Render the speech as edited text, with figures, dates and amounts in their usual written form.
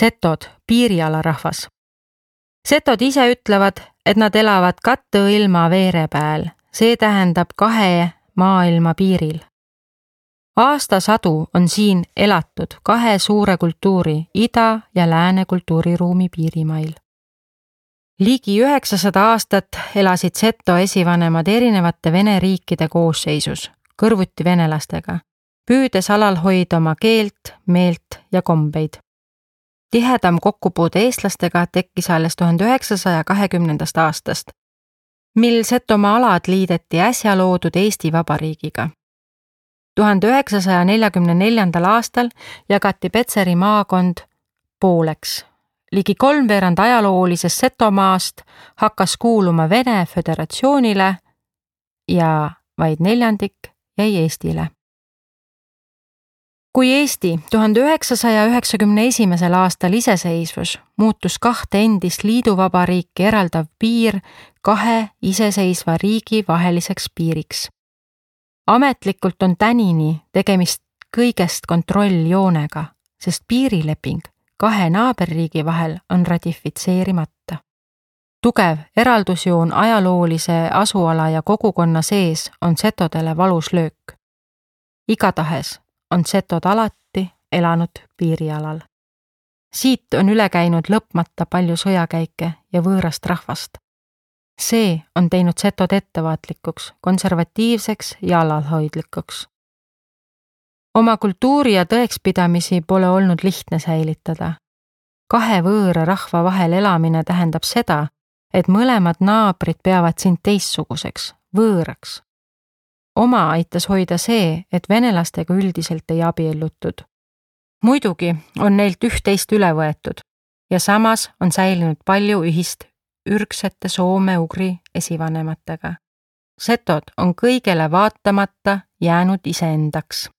Setod, piiriala rahvas. Setod ise ütlevad, et nad elavad katteilma veere pääl, see tähendab 2 maailma piiril. Aastasadu on siin elatud 2 suure kultuuri, ida- ja lääne kultuuriruumi piirimail. Ligi 900 aastat elasid seto esivanemad erinevate Vene riikide koosseisus, kõrvuti venelastega, püüdes alal hoida oma keelt, meelt ja kombeid. Tihedam kokkupuude eestlastega tekkis alles 1920. aastast, mil Setomaa alad liideti äsja loodud Eesti Vabariigiga. 1944. aastal jagati Petseri maakond pooleks. Ligi 3/4 ajaloolisest Setomaast hakkas kuuluma Vene Föderatsioonile ja vaid 1/4 jäi Eestile. Kui Eesti 1991. aastal iseseisvus, muutus 2 endist liiduvabariiki eraldav piir 2 iseseisva riigi vaheliseks piiriks. Ametlikult on tänini tegemist kõigest kontrolljoonega, sest piirileping 2 naaberriigi vahel on ratifitseerimata. Tugev eraldusjoon ajaloolise asuala ja kogukonna sees on setodele valus löök. Igatahes on setod alati elanud piirialal. Siit on üle käinud lõpmata palju sõjakäike ja võõrast rahvast. See on teinud setod ettevaatlikuks, konservatiivseks ja alalhoidlikuks. Oma kultuuri ja tõekspidamisi pole olnud lihtne säilitada. 2 võõra rahva vahel elamine tähendab seda, et mõlemad naabrid peavad sind teistsuguseks, võõraks. Oma aitas hoida see, et venelastega üldiselt ei abiellutud. Muidugi on neilt üht-teist üle võetud ja samas on säilinud palju ühist ürgsete soome-ugri esivanematega. Setod on kõigele vaatamata jäänud iseendaks.